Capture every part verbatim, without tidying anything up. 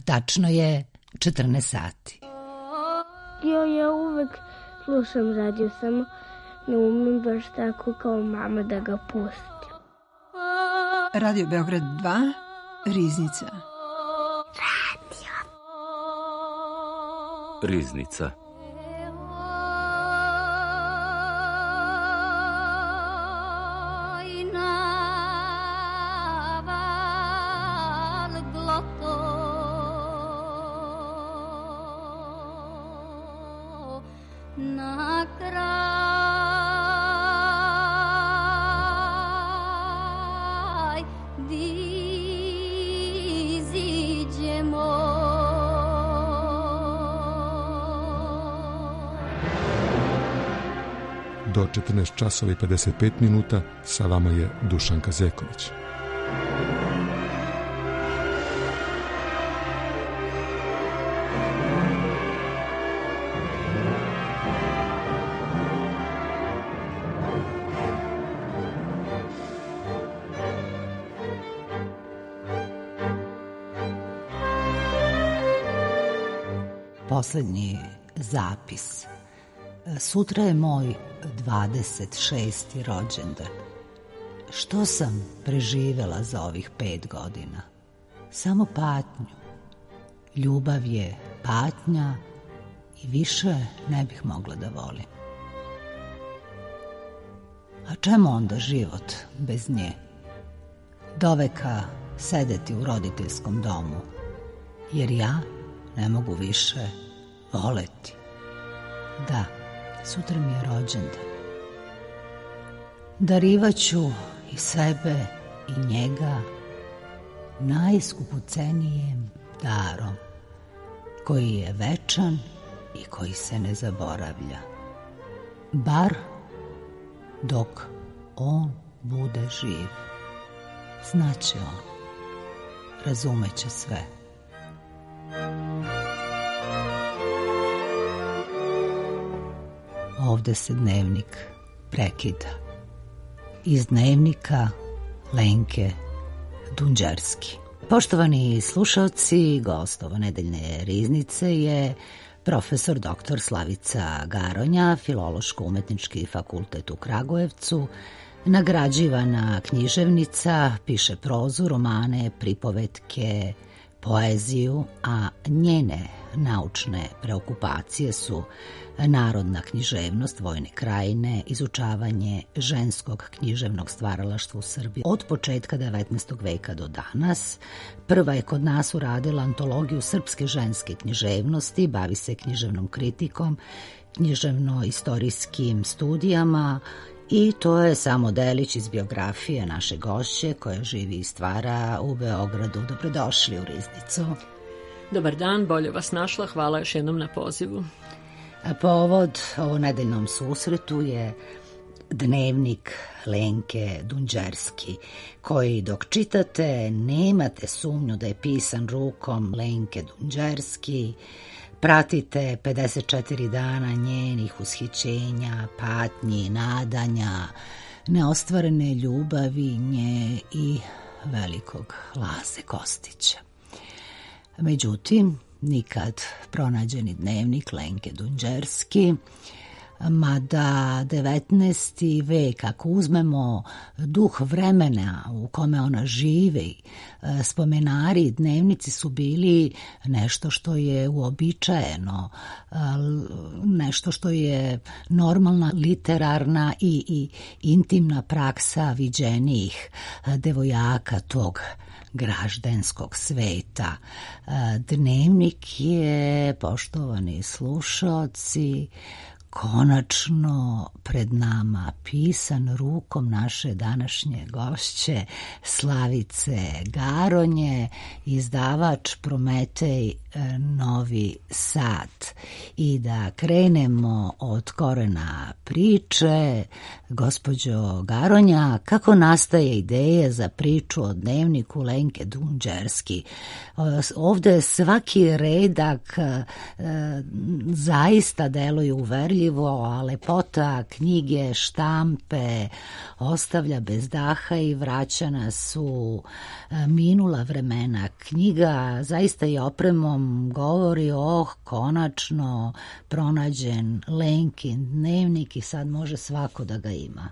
Tačno je četrnaest sati. Jo, ja uvek slušam radio, samo ne umem baš tako kao mama da ga pustim. Radio Beograd dva, Riznica. Radio. Riznica. Do četrnaest časova i pedeset pet minuta sa vama je Dušanka Zeković. Poslednji zapis. Sutra je moj dvadeset šesti rođendan. Što sam preživela za ovih pet godina? Samo patnju. Ljubav je patnja i više ne bih mogla da volim. A čemu onda život bez nje? Doveka sedeti u roditeljskom domu, jer ja ne mogu više voleti. Da, sutra mi je rođendan. Darivaću i sebe i njega najskupocenijem darom, koji je večan i koji se ne zaboravlja. Bar dok on bude živ. Znaće on, razumeće sve. Ovde se dnevnik prekida. Iz dnevnika Lenke Dunđerski. Poštovani slušalci, gost ove nedeljne riznice je profesor doktor Slavica Garonja, Filološko-umetnički fakultet u Kragujevcu, nagrađivana književnica, piše prozu, romane, pripovetke, poeziju, a njene naučne preokupacije su narodna književnost vojne krajine, izučavanje ženskog književnog stvaralaštva u Srbiji od početka devetnaestog veka do danas. Prva je kod nas uradila antologiju srpske ženske književnosti, bavi se književnom kritikom, književno-istorijskim studijama i to je samo delić iz biografije naše gošće koja živi i stvara u Beogradu. Dobrodošli u Riznicu. Dobar dan, bolje vas našla, hvala još jednom na pozivu. A povod ovo nedeljnom susretu je dnevnik Lenke Dunđerski, koji dok čitate nemate sumnju da je pisan rukom Lenke Dunđerski. Pratite pedeset četiri dana njenih ushićenja, patnji, nadanja, neostvarene ljubavi nje i velikog Laze Kostića. Međutim, nikad pronađeni dnevnik Lenke Dunđerski, mada devetnaesti vek, ako uzmemo duh vremena u kome ona živi, spomenari, dnevnici su bili nešto što je uobičajeno, nešto što je normalna literarna i, i intimna praksa viđenijih devojaka tog graždenskog sveta. Dnevnik je, poštovani slušaoci, konačno pred nama pisan rukom naše današnje gošće Slavice Garonje, izdavač Prometej Novi Sad. I da krenemo od korena priče, gospođo Garonja, kako nastaje ideja za priču o dnevniku Lenke Dunđerski? Ovde svaki redak zaista deluje uverljivo gradivo, a lepota knjige, štampe ostavlja bez daha i vraća nas u minula vremena. Knjiga zaista i opremom govori, oh, konačno pronađen Lenkin dnevnik i sad može svako da ga ima.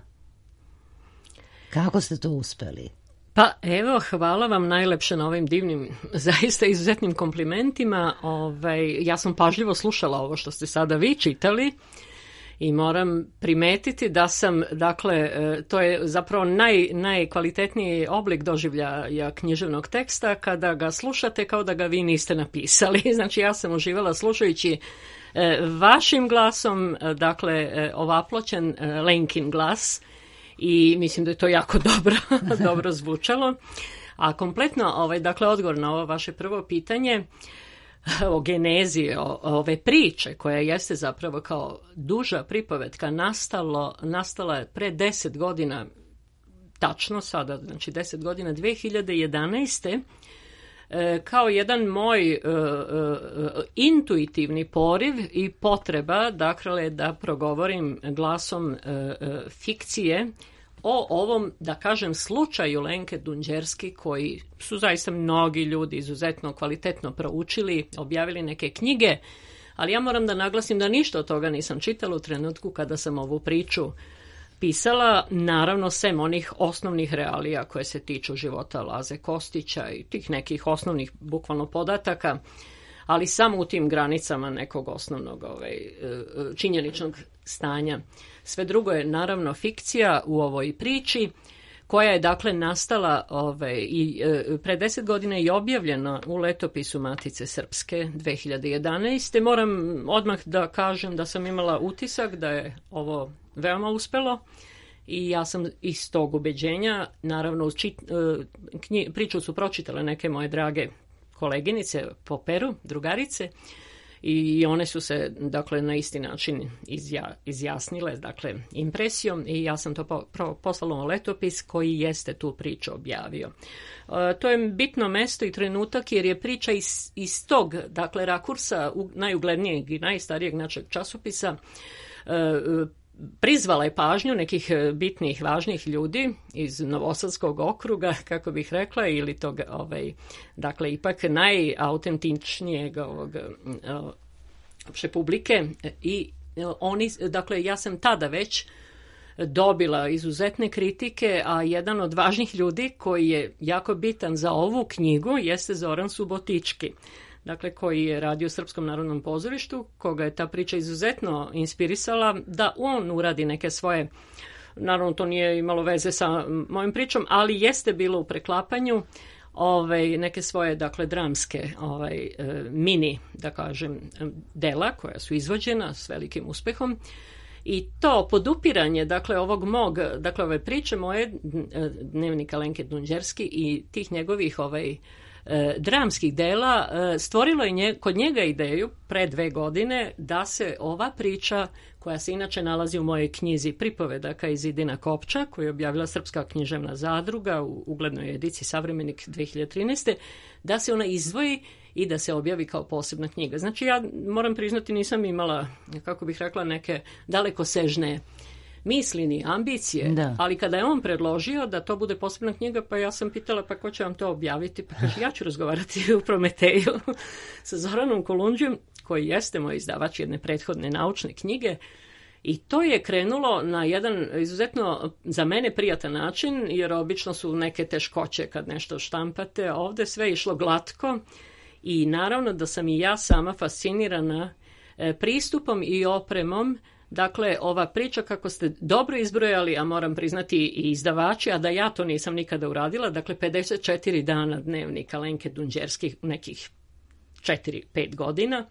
Kako ste to uspeli? Pa evo, hvala vam najlepše na ovim divnim, zaista izuzetnim komplimentima. Ovaj, ja sam pažljivo slušala ovo što ste sada vi čitali i moram primetiti da sam, dakle, to je zapravo naj, najkvalitetniji oblik doživljaja književnog teksta kada ga slušate kao da ga vi niste napisali. Znači ja sam uživala slušajući vašim glasom, dakle, ovaploćen Lenkin glas, i mislim da je to jako dobro, dobro zvučalo. A kompletno, ovaj, dakle, odgovor na ovo vaše prvo pitanje o genezi, o, ove priče, koja jeste zapravo kao duža pripovetka, nastalo, nastala je pre deset godina, tačno sada, znači deset godina, dve hiljade jedanaeste. Kao jedan moj uh, uh, intuitivni poriv i potreba, dakle, da progovorim glasom uh, uh, fikcije o ovom, da kažem, slučaju Lenke Dunđerski, koji su zaista mnogi ljudi izuzetno kvalitetno proučili, objavili neke knjige, ali ja moram da naglasim da ništa od toga nisam čitala u trenutku kada sam ovu priču pisala, naravno sem onih osnovnih realija koje se tiču života Laze Kostića i tih nekih osnovnih bukvalno podataka, ali samo u tim granicama nekog osnovnog ovaj, činjeničnog stanja. Sve drugo je naravno fikcija u ovoj priči, koja je dakle nastala ovaj, i e, pre deset godina i objavljena u letopisu Matice Srpske dve hiljade jedanaeste. Moram odmah da kažem da sam imala utisak da je ovo veoma uspelo i ja sam iz tog ubeđenja, naravno čit, knji, priču su pročitale neke moje drage koleginice po Peru, drugarice, i one su se, dakle, na isti način izja, izjasnile, dakle, impresijom, i ja sam to po, pro, poslala u letopis koji jeste tu priču objavio. E, to je bitno mesto i trenutak jer je priča iz, iz tog, dakle, rakursa u, najuglednijeg i najstarijeg našeg časopisa e, prizvala je pažnju nekih bitnih, važnih ljudi iz Novosadskog okruga, kako bih rekla, ili tog, ovaj, dakle, ipak najautentičnijeg ovog opšte publike, i oni, dakle, ja sam tada već dobila izuzetne kritike, a jedan od važnih ljudi koji je jako bitan za ovu knjigu jeste Zoran Subotički, dakle, koji je radio u Srpskom narodnom pozorištu, koga je ta priča izuzetno inspirisala da on uradi neke svoje, naravno to nije imalo veze sa mojim pričom, ali jeste bilo u preklapanju ovaj, neke svoje, dakle, dramske ovaj, mini, da kažem, dela koja su izvođena s velikim uspehom. I to podupiranje, dakle, ovog mog, dakle, ove priče moje, dnevnika Lenke Dunđerski i tih njegovih ovaj, E, dramskih dela, e, stvorilo je nje, kod njega ideju pre dve godine da se ova priča, koja se inače nalazi u mojoj knjizi Pripovedaka iz Idina Kopča, koju je objavila Srpska književna zadruga u uglednoj ediciji Savremenik dve hiljade trinaeste, da se ona izdvoji i da se objavi kao posebna knjiga. Znači, ja moram priznati, nisam imala, kako bih rekla, neke dalekosežne misli ni ambicije, da. Ali kada je on predložio da to bude posebna knjiga, pa ja sam pitala, pa ko će vam to objaviti? Pa kaže, ja ću razgovarati u Prometeju sa Zoranom Kolundžijom, koji jeste moj izdavač jedne prethodne naučne knjige, i to je krenulo na jedan izuzetno za mene prijatan način, jer obično su neke teškoće kad nešto štampate, a ovde sve išlo glatko i naravno da sam i ja sama fascinirana pristupom i opremom. Dakle, ova priča, kako ste dobro izbrojali, a moram priznati i izdavači, a da ja to nisam nikada uradila, dakle, pedeset četiri dana dnevnika Lenke Dunđerski, nekih četiri pet godina,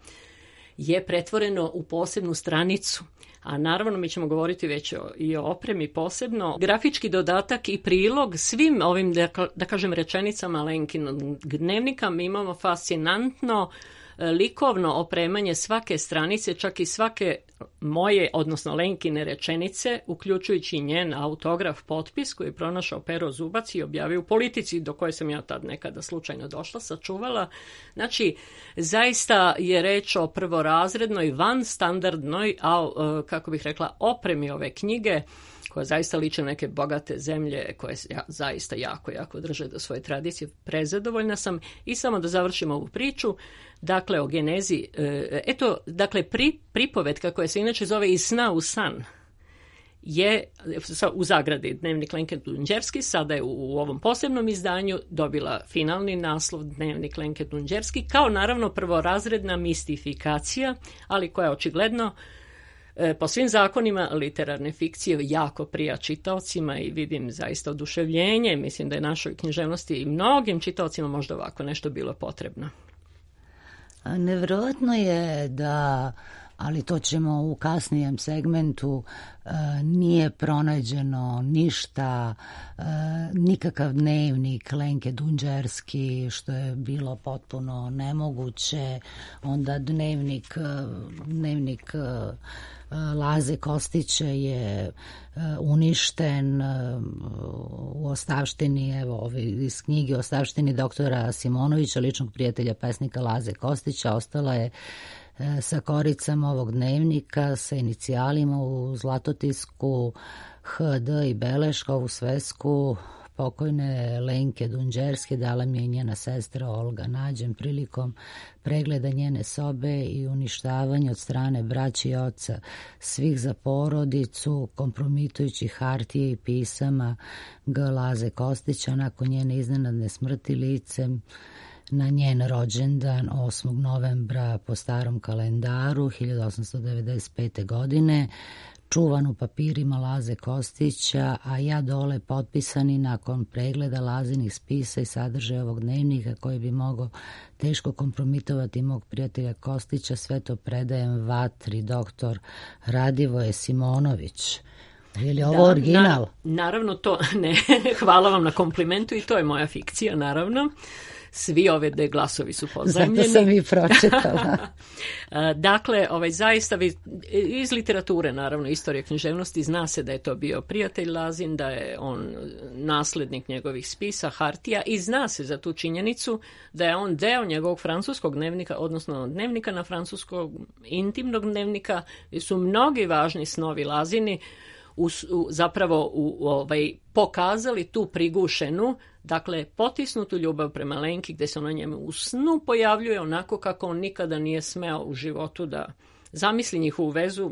je pretvoreno u posebnu stranicu. A naravno, mi ćemo govoriti već o, i o opremi posebno. Grafički dodatak i prilog svim ovim, da, da kažem, rečenicama Lenkinog dnevnika mi imamo fascinantno likovno opremanje svake stranice, čak i svake moje, odnosno Lenkine rečenice, uključujući njen autograf, potpis koji je pronašao Pero Zubac i objavio u Politici, do koje sam ja tad nekada slučajno došla, sačuvala. Znači, zaista je reč o prvorazrednoj, vanstandardnoj, a, kako bih rekla, opremi ove knjige, koja zaista liče neke bogate zemlje koje ja, zaista jako, jako drže do svoje tradicije. Prezadovoljna sam. I samo da završim ovu priču, dakle, o genezi. Eto, dakle, pri, pripovetka koja se inače zove Iz sna u san je u zagradi Dnevnik Lenke Dunđerski, sada je u, u ovom posebnom izdanju dobila finalni naslov Dnevnik Lenke Dunđerski, kao naravno prvorazredna mistifikacija, ali koja očigledno po svim zakonima literarne fikcije jako prija čitaocima i vidim zaista oduševljenje. Mislim da je našoj književnosti i mnogim čitaocima možda ovako nešto bilo potrebno. Nevjerojatno je da, ali to ćemo u kasnijem segmentu, nije pronađeno ništa, nikakav dnevnik Lenke Dunđerski, što je bilo potpuno nemoguće. Onda dnevnik, dnevnik Laze Kostića je uništen u ostavštini, evo iz knjige Ostavštini doktora Simonovića, ličnog prijatelja pesnika Laze Kostića. Ostala je sa koricama ovog dnevnika, sa inicijalima u zlatotisku H D i beleška, ovu svesku pokojne Lenke Dunđerske dala mi je njena sestra Olga Nađen prilikom pregleda njene sobe i uništavanja od strane braće i oca svih za porodicu, kompromitujućih hartije i pisama G. Laze Kostića nakon njene iznenadne smrti licem na njen rođendan osmog novembra po starom kalendaru hiljadu osamsto devedeset pete. godine, čuvan u papirima Laze Kostića, a ja dole potpisani nakon pregleda Lazinih spisa i sadržaja ovog dnevnika koji bi mogao teško kompromitovati mog prijatelja Kostića. Sve to predajem vatri doktor Radivoje Simonović. Je li ovo da, original? Na, naravno to ne. Hvala vam na komplimentu i to je moja fikcija, naravno. Svi ove de glasovi su pozajmljeni. Zato sam i pročitala. Dakle, ovaj, zaista iz literature, naravno, istorije književnosti, zna se da je to bio prijatelj Lazin, da je on naslednik njegovih spisa, hartija, i zna se za tu činjenicu da je on deo njegovog francuskog dnevnika, odnosno dnevnika na francuskog, intimnog dnevnika, gdje su mnogi važni snovi Lazini u, u, zapravo u, u, ovaj, pokazali tu prigušenu, dakle, potisnutu ljubav prema Lenki, gdje se ona njemu u snu pojavljuje onako kako on nikada nije smeo u životu da zamisli njihovu vezu,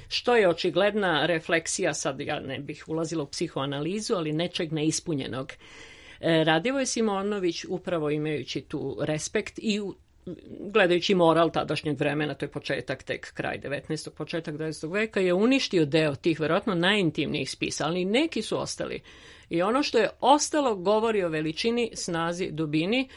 što je očigledna refleksija, sad ja ne bih ulazila u psihoanalizu, ali nečeg neispunjenog. E, Radivoje Simonović, upravo imajući tu respekt i u gledajući moral tadašnjeg vremena, to je početak, tek kraj devetnaestog. početak dvadesetog. veka, je uništio deo tih verovatno najintimnijih spisa, ali neki su ostali. I ono što je ostalo govori o veličini, snazi, dubini,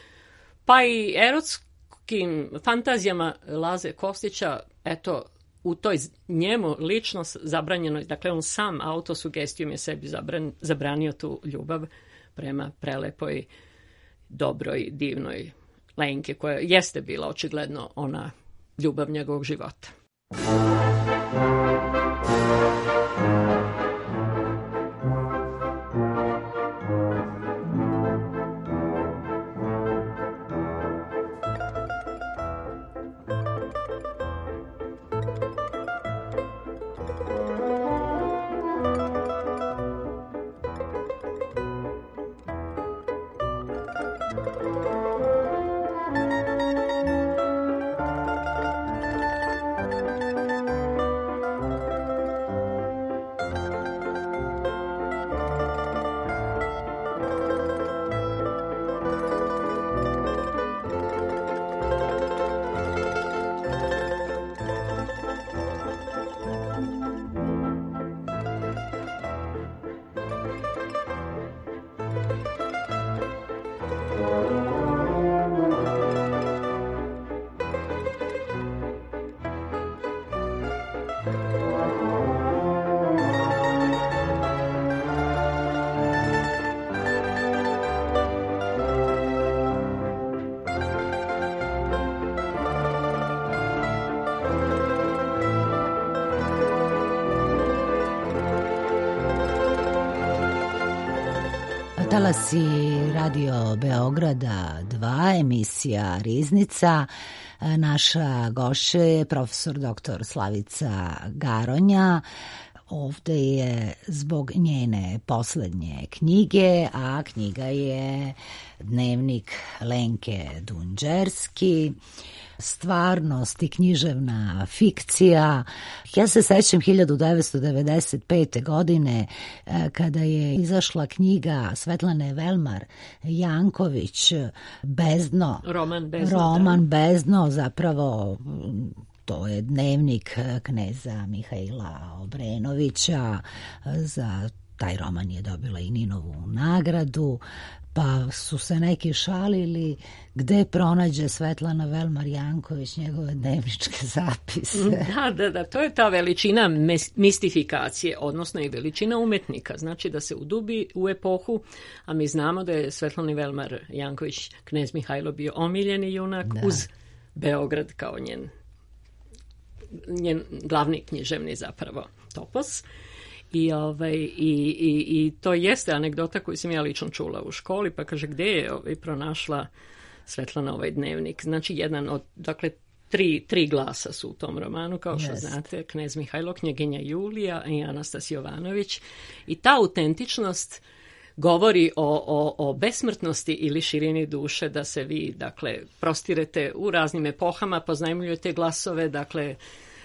pa i erotskim fantazijama Laze Kostića, eto, u toj njemu lično zabranjenoj, dakle on sam autosugestijom je sebi zabran, zabranio tu ljubav prema prelepoj, dobroj, divnoj Lenke, koja jeste bila očigledno ona ljubav njegovog života. Talasi Radio Beograda dva, emisija Riznica. Naša gošća je profesor doktor Slavica Garonja. Ovde je zbog njene poslednje knjige, a knjiga je Dnevnik Lenke Dunđerski, stvarnost i književna fikcija. Ja se sećam hiljadu devetsto devedeset pete. godine kada je izašla knjiga Svetlane Velmar Janković Bezdno. Roman Bezdno. Roman Bezdno, zapravo to je dnevnik kneza Mihaila Obrenovića. Za taj roman je dobila i Ninovu nagradu. Pa su se neki šalili gde pronađe Svetlana Velmar Janković njegove dnevničke zapise. Da, da, da, to je ta veličina mistifikacije, odnosno i veličina umetnika. Znači da se udubi u epohu, a mi znamo da je Svetlana Velmar Janković, knez Mihajlo, bio omiljeni junak, da, uz Beograd kao njen, njen glavni književni zapravo topos. I, ovaj, i, i, i to jeste anegdota koju sam ja lično čula u školi, pa kaže gde je ovaj, pronašla Svetlana ovaj dnevnik. Znači jedan od, dakle, tri, tri glasa su u tom romanu, kao što Jest. znate, knez Mihajlo, knjeginja Julija i Anastas Jovanović. I ta autentičnost govori o, o, o besmrtnosti ili širini duše, da se vi, dakle, prostirete u raznim epohama, poznajmljujete glasove, dakle,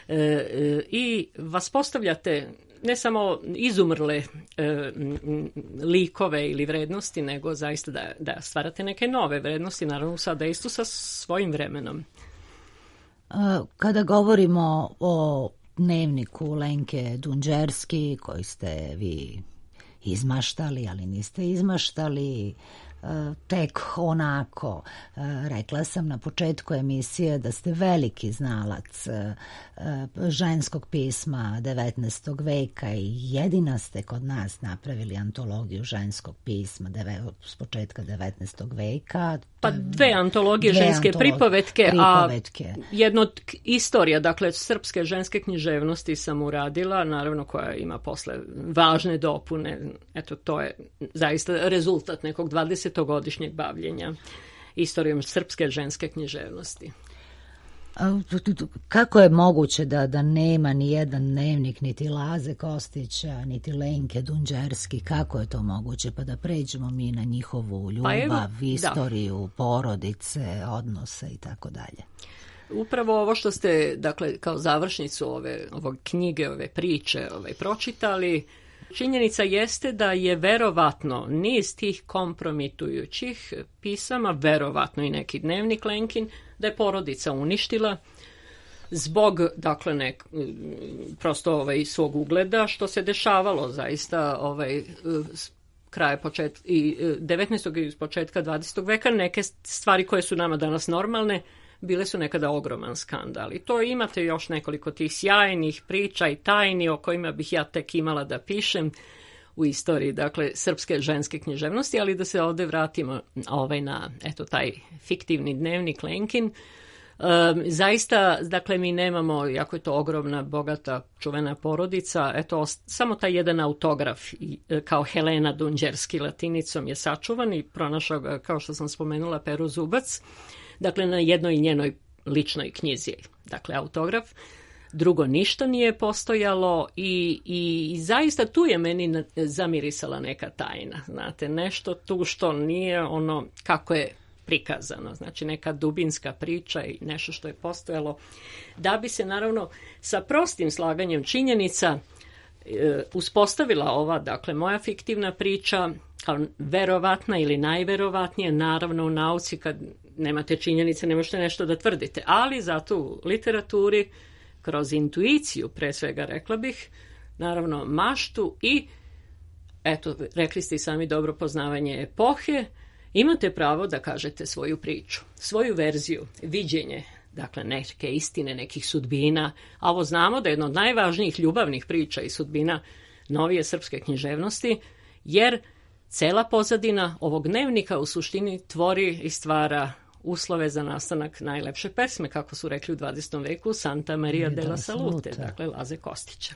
e, e, i vas postavljate ne samo izumrle e, likove ili vrednosti, nego zaista da, da stvarate neke nove vrednosti, naravno sada isto sa svojim vremenom. Kada govorimo o dnevniku Lenke Dunđerski, koji ste vi izmaštali, ali niste izmaštali tek onako. Rekla sam na početku emisije da ste veliki znalac ženskog pisma devetnaestog veka i jedina ste kod nas napravili antologiju ženskog pisma s početka devetnaestog veka. Pa dve antologije dve ženske antolog, pripovetke, pripovetke, a jedno od istorija, dakle, srpske ženske književnosti sam uradila, naravno koja ima posle važne dopune. Eto, to je zaista rezultat nekog dvadesetogodišnjeg bavljenja istorijom srpske ženske književnosti. Kako je moguće da, da nema ni jedan dnevnik niti Laze Kostića, niti Lenke Dunđerski? Kako je to moguće? Pa da pređemo mi na njihovu ljubav, pa evo, istoriju, da. porodice, odnose i tako dalje. Upravo ovo što ste, dakle, kao završnicu ove, ove knjige, ove priče ove, pročitali, činjenica jeste da je verovatno niz tih kompromitujućih pisama, verovatno i neki dnevnik Lenkin, da je porodica uništila zbog, dakle, nek, prosto ovaj, svog ugleda, što se dešavalo zaista ovaj, kraja počet, i devetnaestog i početka dvadesetog veka. Neke stvari koje su nama danas normalne bile su nekada ogroman skandal. I to imate još nekoliko tih sjajnih priča i tajni o kojima bih ja tek imala da pišem u istoriji, dakle, srpske ženske književnosti, ali da se ovde vratimo ovaj, na eto, taj fiktivni dnevnik Lenkin. Um, zaista, dakle, mi nemamo, jako je to ogromna, bogata, čuvena porodica, eto, samo taj jedan autograf kao Helena Dunđerski latinicom je sačuvan i pronašao ga, kao što sam spomenula, Pero Zubac, dakle, na jednoj njenoj ličnoj knjizi, dakle, autograf. Drugo, ništa nije postojalo i, i zaista tu je meni zamirisala neka tajna, znate, nešto tu što nije ono kako je prikazano, znači neka dubinska priča i nešto što je postojalo, da bi se naravno sa prostim slaganjem činjenica e, uspostavila ova, dakle, moja fiktivna priča kao verovatna ili najverovatnije, naravno u nauci kad nemate činjenice ne možete nešto da tvrdite, ali zato u literaturi kroz intuiciju, pre svega rekla bih, naravno maštu i, eto, rekli ste i sami dobro, poznavanje epohe, imate pravo da kažete svoju priču, svoju verziju, viđenje, dakle, neke istine, nekih sudbina, a ovo znamo da je jedna od najvažnijih ljubavnih priča i sudbina novije srpske književnosti, jer cela pozadina ovog dnevnika u suštini tvori i stvara uslove za nastanak najlepše pesme, kako su rekli u dvadesetom veku, Santa Maria della Salute, dakle Laze Kostića.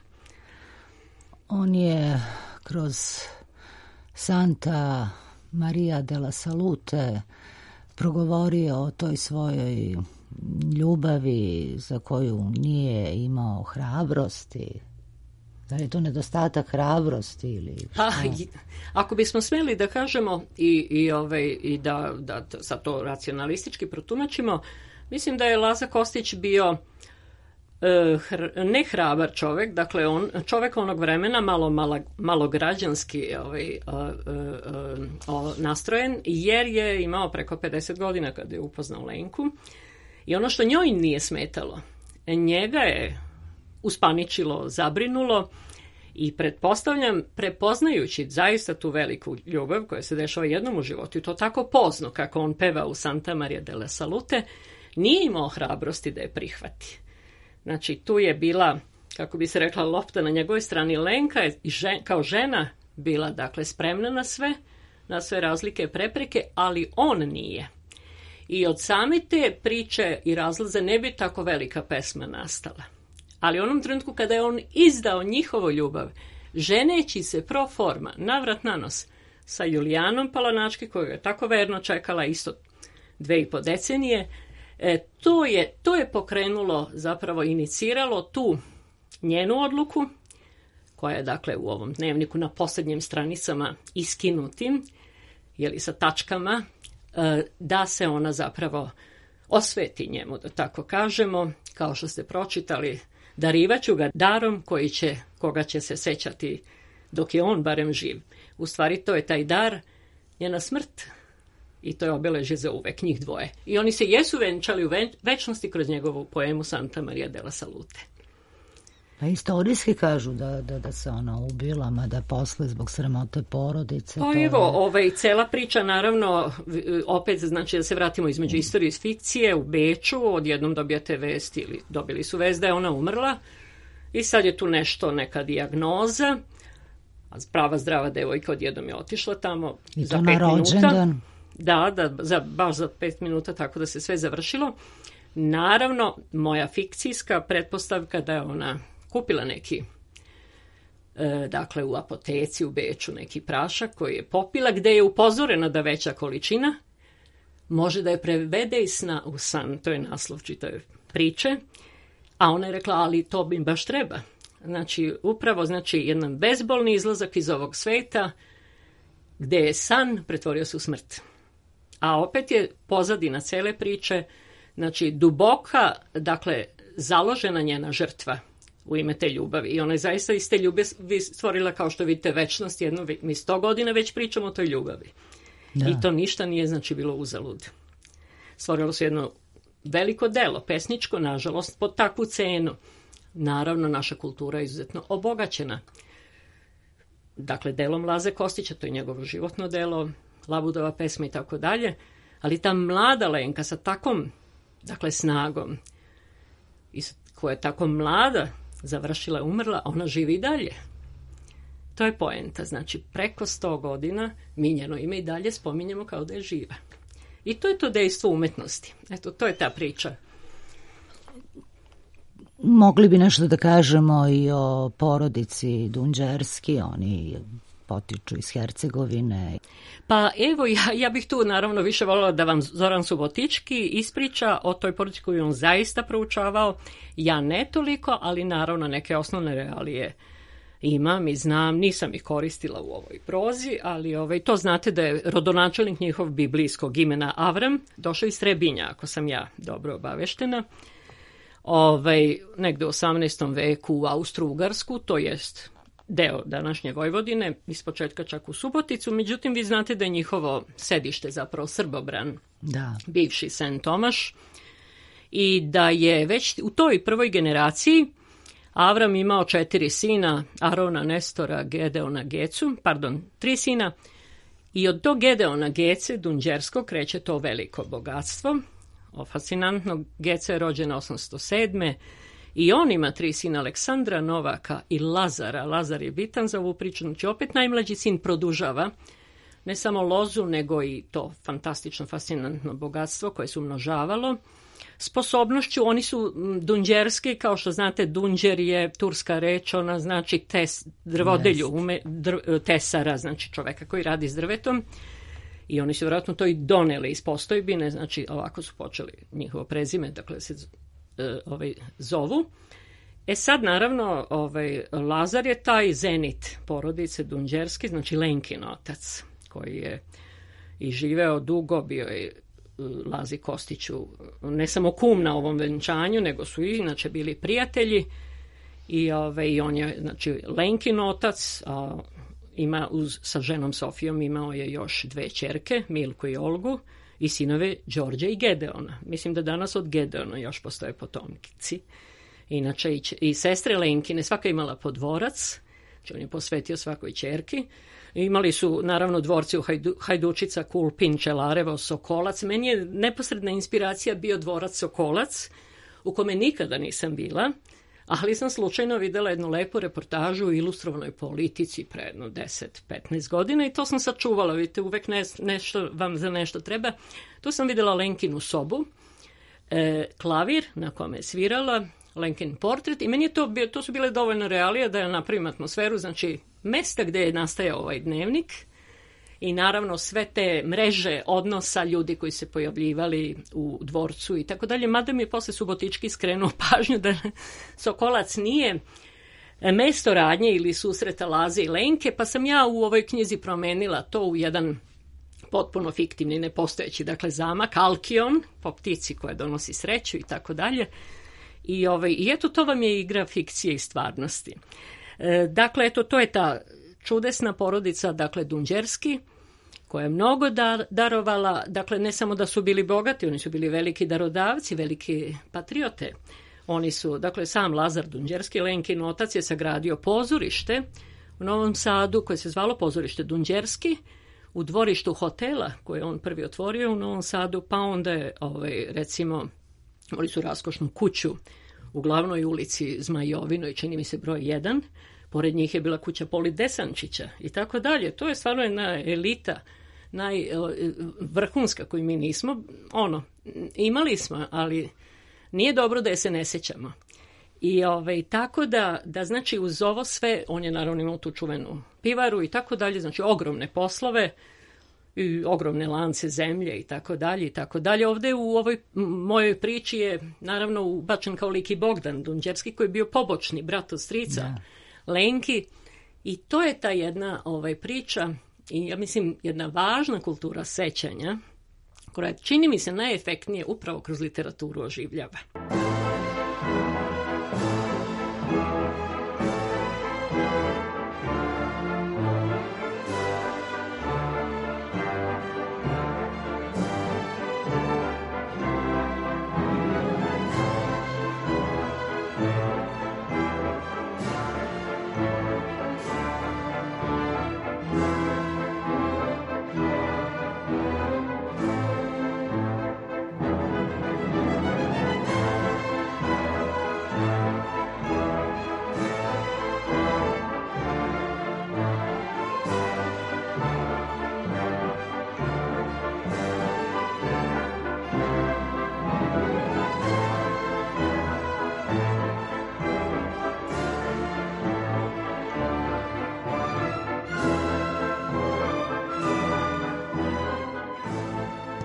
On je kroz Santa Maria della Salute progovorio o toj svojoj ljubavi za koju nije imao hrabrosti. Da li je to nedostatak hrabrosti ili šta? Pa, ako bismo smjeli da kažemo i, i, ovaj, i da, da sad to racionalistički protumačimo, mislim da je Laza Kostić bio e, hr, ne hrabar čovjek, dakle on, čovjek onog vremena malo, malo, malo građanski ovaj, a, a, a, nastrojen, jer je imao preko pedeset godina kada je upoznao Lenku. I ono što njoj nije smetalo, njega je uspaničilo, zabrinulo i pretpostavljam, prepoznajući zaista tu veliku ljubav koja se dešava jednom u životu i to tako pozno kako on peva u Santa Maria della Salute, nije imao hrabrosti da je prihvati. Znači tu je bila, kako bi se rekla, lopta na njegovoj strani. Lenka je žen, kao žena bila dakle spremna na sve, na sve razlike i prepreke, ali on nije. I od same te priče i razlaze ne bi tako velika pesma nastala. Ali u onom trenutku kada je on izdao njihovu ljubav, ženeći se pro forma, navrat na nos, sa Julijanom Palanački, koju je tako verno čekala isto dve i po decenije, e, to, je, to je pokrenulo, zapravo iniciralo tu njenu odluku, koja je dakle u ovom dnevniku na posljednjim stranicama iskinutim, jeli sa tačkama, e, da se ona zapravo osveti njemu, da tako kažemo, kao što ste pročitali, darivaću ga darom koji će, koga će se sećati dok je on barem živ. U stvari to je taj dar, njena smrt i to je obeležje za uvek, njih dvoje. I oni se jesu venčali u večnosti kroz njegovu poemu Santa Maria della Salute. Pa istorijski kažu da, da, da se ona ubila, mada posle zbog sramote porodice. Pa evo, je... ovaj, cela priča naravno, opet znači da se vratimo između istorije i fikcije, u Beču odjednom dobijate vest ili dobili su vest da je ona umrla i sad je tu nešto, neka dijagnoza, a prava zdrava devojka odjednom je otišla tamo I za to pet na minuta. Da, da, za, baš za pet minuta, tako da se sve završilo. Naravno, moja fikcijska pretpostavka da je ona kupila neki, e, dakle u apoteci u Beču, neki prašak koji je popila, gde je upozorena da veća količina može da je prevede iz sna u san. To je naslov čitave priče. A ona je rekla, ali to bi baš treba. Znači, upravo, znači, jedan bezbolni izlazak iz ovog sveta gde je san pretvorio se u smrt. A opet je pozadina cele priče, znači, duboka, dakle, založena njena žrtva u ime te ljubavi. I ona je zaista iz te ljubavi stvorila, kao što vidite, večnost jednu. Mi sto godina već pričamo o toj ljubavi. Da. I to ništa nije, znači, bilo uzalud. Stvorilo se jedno veliko delo, pesničko, nažalost, pod takvu cenu. Naravno, naša kultura je izuzetno obogaćena. Dakle, delom Laze Kostića, to je njegovo životno delo, Labudova pesma i tako dalje, ali ta mlada Lenka sa takom, dakle, snagom, i koja je tako mlada, završila, umrla, ona živi i dalje. To je poenta. Znači, preko sto godina mi njeno ime i dalje spominjemo kao da je živa. I to je to dejstvo umetnosti. Eto, to je ta priča. Mogli bi nešto da kažemo i o porodici Dunđerski, oni potiču iz Hercegovine. Pa evo, ja, ja bih tu naravno više voljela da vam Zoran Subotički ispriča o toj porodici koju on zaista proučavao. Ja ne toliko, ali naravno neke osnovne realije imam i znam, nisam ih koristila u ovoj prozi, ali ovaj, to znate da je rodonačelnik njihov biblijskog imena Avram, došao iz Trebinja, ako sam ja dobro obaveštena. Ovaj, negde u osamnaestom veku u Austro-Ugarsku, to jest deo današnje Vojvodine, ispočetka čak u Suboticu, međutim vi znate da je njihovo sedište zapravo Srbobran, da. Bivši Sen Tomaš, i da je već u toj prvoj generaciji Avram imao četiri sina, Arona, Nestora, Gedeona, Gecu, pardon, tri sina, i od tog Gedeona Gece, Dunđerskog, kreće to veliko bogatstvo. O, fascinantno, Geca je rođena osamsto sedme i on ima tri sina, Aleksandra, Novaka i Lazara. Lazar je bitan za ovu priču, znači opet najmlađi sin produžava ne samo lozu, nego i to fantastično, fascinantno bogatstvo koje se umnožavalo. Sposobnošću, oni su dunđerski, kao što znate, dunđer je turska reč, ona znači tes, drvodelju, ume, dr, tesara, znači čoveka koji radi s drvetom. I oni su vjerojatno to i doneli iz postojbine, znači ovako su počeli njihovo prezime, dakle se e, ovaj, zovu. E sad, naravno, ovaj, Lazar je taj zenit porodice Dunđerski, znači Lenkin otac, koji je i živeo dugo, bio je Lazi Kostiću ne samo kum na ovom venčanju, nego su i inače bili prijatelji. I, ove, i on je, znači, Lenkin otac, a, ima uz, sa ženom Sofijom imao je još dve ćerke, Milku i Olgu, i sinove Đorđe i Gedeona. Mislim da danas od Gedeona još postoje potomkici. Inače, i, i sestre Lenkine, svaka imala po dvorac, znači on je posvetio svakoj ćerki. Imali su, naravno, dvorci u Hajdu, Hajdučica, Kulpin, Čelarevo, Sokolac. Meni je neposredna inspiracija bio dvorac Sokolac, u kome nikada nisam bila, ali sam slučajno videla jednu lepu reportažu u ilustrovanoj politici pre jedno deset petnaest godina i to sam sačuvala. Vidite, uvek ne, nešto vam za nešto treba. Tu sam videla Lenkinu sobu, e, klavir na kome je svirala, Lenkin portret i meni je to, to su bile dovoljno realije da ja napravim atmosferu, znači mesta gde je nastajao ovaj dnevnik i naravno sve te mreže odnosa ljudi koji se pojavljivali u dvorcu i tako dalje, mada mi je posle Subotički skrenuo pažnju da Sokolac nije mesto radnje ili susreta Laze i Lenke, pa sam ja u ovoj knjizi promenila to u jedan potpuno fiktivni, nepostojeći, dakle zamak, Alkion, po ptici koja donosi sreću i tako dalje. I, ovaj, i eto, to vam je igra fikcije i stvarnosti. E, dakle, eto, to je ta čudesna porodica, dakle, Dunđerski, koja je mnogo dar, darovala, dakle, ne samo da su bili bogati, oni su bili veliki darodavci, veliki patriote. Oni su, dakle, sam Lazar Dunđerski, Lenkin otac, je sagradio pozorište u Novom Sadu, koje se zvalo pozorište Dunđerski, u dvorištu hotela, koje je on prvi otvorio u Novom Sadu, pa onda je, ovaj, recimo, imali su raskošnu kuću u glavnoj ulici Zmajovinoj, čini mi se broj jedan. Pored njih je bila kuća Poli Desančića i tako dalje. To je stvarno jedna elita, najvrhunska koju mi nismo. Ono, imali smo, ali nije dobro da je se ne sećamo. I ovaj, tako da, da, znači, uz ovo sve, on je naravno imao tu čuvenu pivaru i tako dalje, znači ogromne poslove, i ogromne lance zemlje i tako dalje i tako dalje. Ovde u ovoj mojoj priči je naravno ubačen kao lik i Bogdan Dunđerski, koji je bio pobočni brat od strica da. Lenki, i to je ta jedna ovaj, priča i ja mislim jedna važna kultura sećanja koja čini mi se najefektnije upravo kroz literaturu oživljava.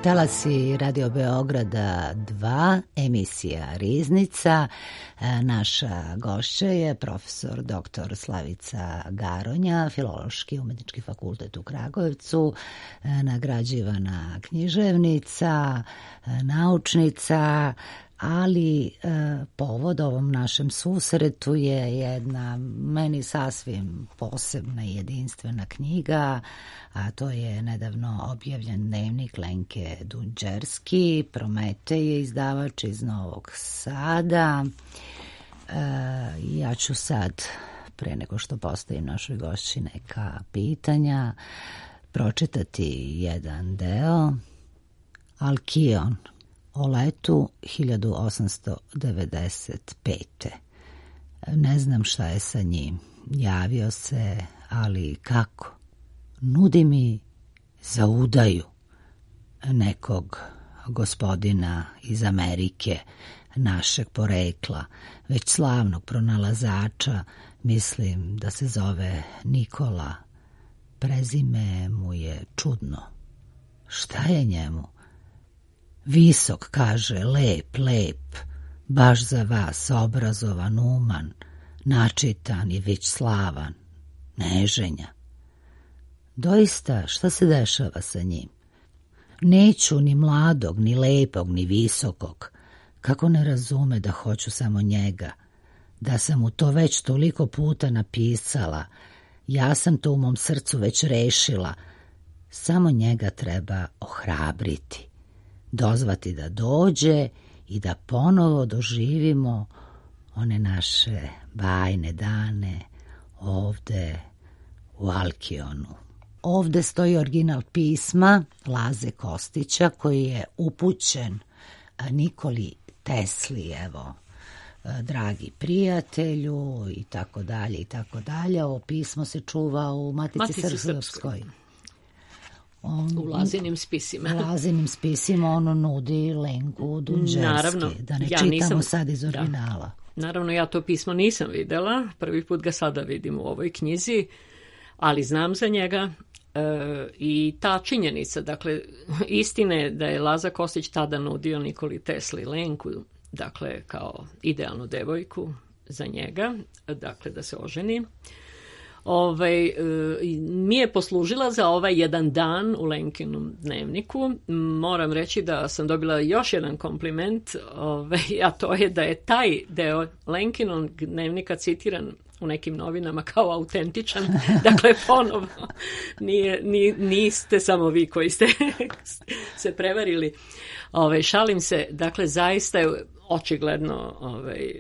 Talasi Radio Beograda dva, emisija Riznica. Naša gošća je profesor doktor Slavica Garonja, Filološki umetnički fakultet u Kragujevcu, nagrađivana književnica, naučnica, ali e, povod ovom našem susretu je jedna meni sasvim posebna i jedinstvena knjiga, a to je nedavno objavljen dnevnik Lenke Dunđerski, Prometej je izdavač iz Novog Sada. E, ja ću sad, pre nego što postavim našoj gošći neka pitanja, pročitati jedan deo. Alkion, o letu hiljadu osamsto devedeset pete. Ne znam šta je sa njim. Javio se, ali kako? Nudi mi za udaju nekog gospodina iz Amerike, našeg porekla, već slavnog pronalazača, mislim da se zove Nikola. Prezime mu je čudno. Šta je njemu? Visok, kaže, lep, lep, baš za vas, obrazovan, uman, načitan i već slavan, neženja. Doista, šta se dešava sa njim? Neću ni mladog, ni lepog, ni visokog. Kako ne razume da hoću samo njega? Da sam mu to već toliko puta napisala. Ja sam to u mom srcu već rešila. Samo njega treba ohrabriti. Dozvati da dođe i da ponovo doživimo one naše bajne dane ovde u Alkionu. Ovde stoji original pisma Laze Kostića koji je upućen Nikoli Tesli, evo, dragi prijatelju i tako dalje i tako dalje. Ovo pismo se čuva u Matici, Matici Srpskoj. On, u Lazinim spisima. U Lazinim spisima ono nudi Lenku Dunđerski. Naravno, da ne ja čitamo nisam, sad iz originala. Da. Naravno, ja to pismo nisam videla. Prvi put ga sada vidim u ovoj knjizi, ali znam za njega. E, i ta činjenica, dakle, istine da je Laza Kostić tada nudio Nikoli Tesli Lenku, dakle, kao idealnu devojku za njega, dakle, da se oženi, ovaj, e, mi je poslužila za ovaj jedan dan u Lenkinom dnevniku. Moram reći da sam dobila još jedan kompliment, ovaj, a to je da je taj deo Lenkinog dnevnika citiran u nekim novinama kao autentičan, dakle ponovno nije, nije, niste samo vi koji ste se prevarili. Ove, šalim se, dakle zaista je očigledno ovaj,